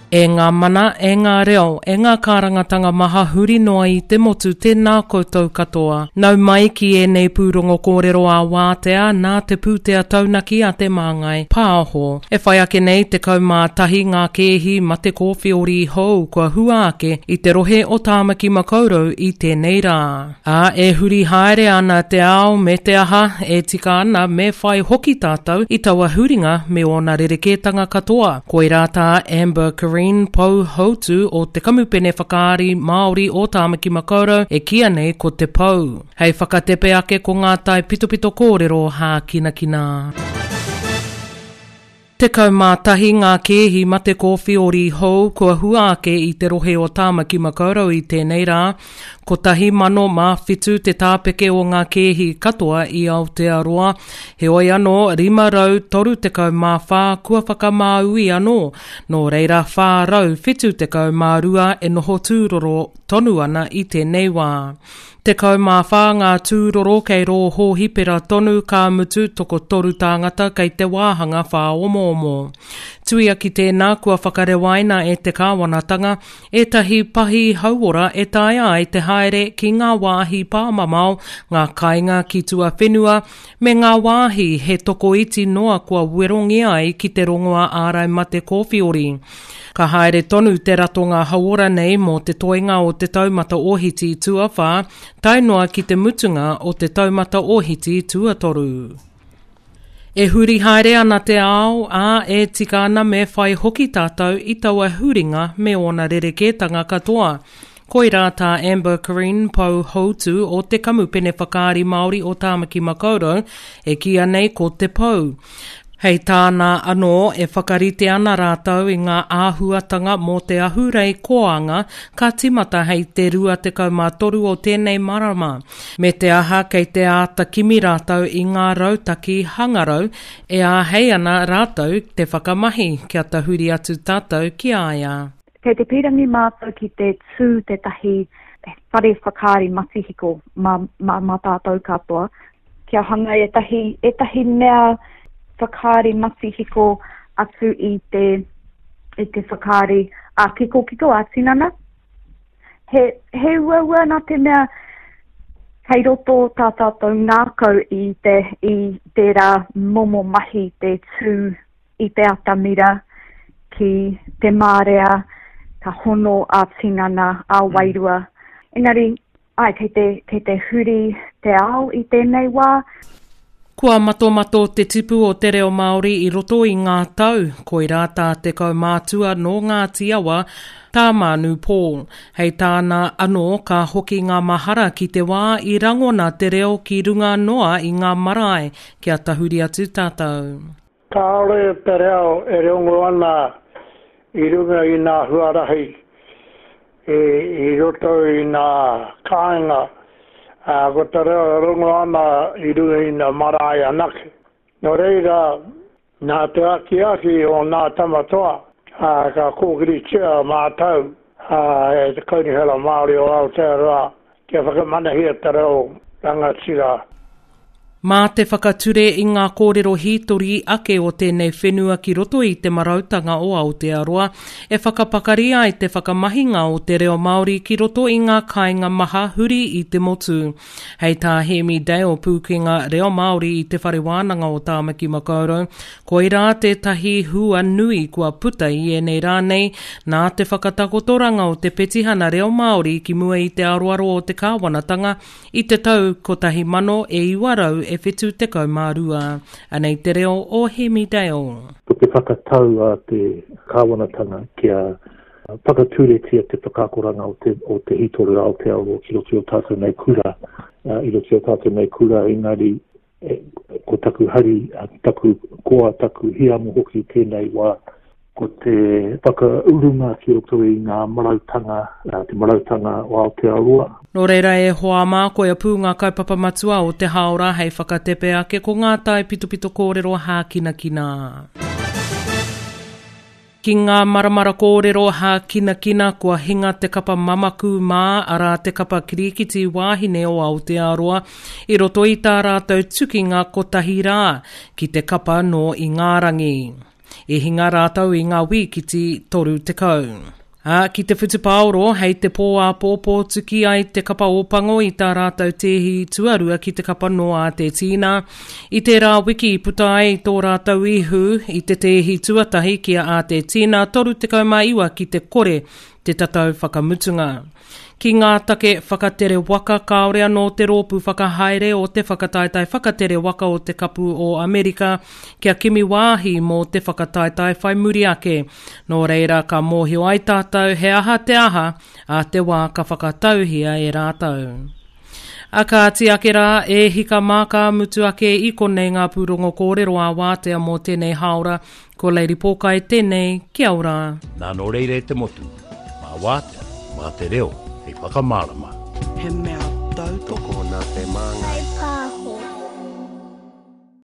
E ngā mana, e ngā reo, e ngā kārangatanga maha huri noa i te motu tēnā koutou katoa. Nau mai ki ēnei pūrongo kōrero ā-wātea nā te pūtea taunaki a Te Māngai Pāho. E whai ake nei 11 ngā kēhi mate kōwheori hou kua hua ake i te rohe o Tāmaki Makaurau i tēnei rā. Ā, e huri haere ana te ao me te aha, e tika ana me whai hoki tātou i taua huringa me ōna rerekētanga katoa. Koirā tā Amber Curreen, Pou Houtu o te Kamupene Whakaari Māori o Tāmaki Makaurau e kīia nei ko Te Pou. Hei whakatepe ake ko ngā taipitopito kōrero hākinakina. 11 ngā kēhi mate kōwhiori hou kua hua ake i te rohe o Tāmaki Makaurau i tēnei rā. Kotahi mano mā whitu te tāpeke o ngā kēhi katoa i Aotearoa, heoi anō 534 kua whakamāui anō, nō reira 472 e noho tūroro tonu ana i tēnei wā. 14 ngā tūroro kei rō hōhipera tonu, ka mutu, tokotoru tāngata kei te wāhanga whāomoomo. Tuia ki tēnā, kua whakarewaina e te kāwanatanga ētahi pahi hauora e taea ai te haere ki ngā wāhi pāmamao, ngā kāinga ki tuawhenua, me ngā wāhi he tokoiti noa kua werongia ai ki te rongoā ārai mate kōwhiori. Ka haere tonu te ratonga hauora nei mō te toenga o te taumata ōhiti tuawhā tae noa ki te mutunga o te taumata ōhiti tuatoru. E huri haere ana te ao, ā, e tika ana me whai hoki tātou i taua huringa me ōna rerekētanga katoa. Koirā tā Amber Curreen, Pou Houtu o te Kamupene Whakaari Māori o Tāmaki Makaurau, e kīia nei ko Te Pou. Hei tāna anō, e whakarite ana rātou i ngā āhuatanga mō te ahurei koanga ka tīmata hei te 23 o tēnei marama, me te aha kei te āta kimi rātou i ngā rautaki hangarau e āhei ana rātou te whakamahi kia tahuri atu tātou ki a ia. Kei te pīrangi mātou ki te tū tētahi whare whakaari matihiko mā, mā, mā tātou katoa, kia hanga ētahi, ētahi mea whakaari matihiko atu i te, i te whakaari ā-kikokiko, ā-tinana. He, he uaua nā te mea kei roto tā tātou ngākau i, te, i tērā momo mahi te tū i te atamira ki te marea, ka hono ā-tinana, ā-wairua. Engari, Āe, kei te, kei te huri te ao i tēnei wā. Kua matomato te tipu o te reo Māori i roto i ngā tau, koirā tā te kaumātua nō Ngāti Awa, tā Mānu Paul. Hei tāna anō, ka hoki ngā mahara ki te wā i rangona te reo ki runga noa i ngā marae, kia tahuri atu tātou. Kāore te reo e rongo ana i runga i nā huarahi i roto i nā kāinga, ā, ko te reo e rongo ana i runga i nā marae anake. Nō reira, nā te akiaki o nā tama toa, ā, ka kōkiritia mātau, ā, e te Kaunihera Māori o Aotearoa kia whakamanahia te reo rangatira. Mā te whakature i ngā kōrero hītori ake o tēnei whenua ki roto i te marautanga o Aotearoa e whakapakari ai te whakamahinga o te reo Māori ki roto i ngā kāinga maha huri i te motu. Hei tā Hēmi Dale, pūkenga reo Māori i Te Whare Wānanga o Tāmaki Makaurau, koirā tētahi hua nui kua puta i ēnei rā nei nā te whakatakotoranga o te petihana reo Māori ki mua i te aroaro o te kāwanatanga I te tau 1972, anei te reo o Hemi Dale. Ko te whakatau a te kāwanatanga kia whakaturetia te whakaakoranga o te, o te hītori o Aotearoa ki roto i o tātou nei kura, i roto i o tātou nei kura, engari e, ko taku hari, taku koa, taku hiamo hoki tēnei wā, ko te whakaurunga ki roto i ngā marautanga, te marautanga o Aotearoa. Nō reira e hoa mā, koia pū ngā kaupapa matua o te hāora hei whakatepe ake ko ngā taipitopito kōrero hākinakina. Ki ngā maramara kōrero hākinakina kua hinga te kapa mamaku mā, arā te kapa kirikiti wāhine o Aotearoa, i roto i tā rātou tukinga kotahi rā, ki te kapa nō Ingārangi. I hinga rātou i ngā wīkiti 30. Ā, ki te whutupaoro, hei te pō āpōpō tuki ai te kapa Ōpango i tā rātou tēhi tuarua ki te kapa nō Ātetīna. I tērā wiki i puta ai tō rātou ihu i te tēhi tuatahi ki a Ātetīna 39 ki te kore te tatau whakamutunga. Ki ngā take whakatere waka kāore anō te rōpū whakahaere o te whakataetae whakatere waka o te Kapu o Amerika kia kimi wāhi mō te whakataetae whai muri ake. Nō reira ka mōhio ai tātou he aha te aha a te wā ka whakatauhia e rātou. A kāti ake rā, e hika mā ka mutu ake i konei ngā pūrongo kōrero ā-wātea mō tēnei hāora Ko Lady Pōkai tēnei, kia ora. Nā nō reira e te motu, mā Wātea, mā te reo hei whakamārama. He mea tautoko. Tokona te māngai.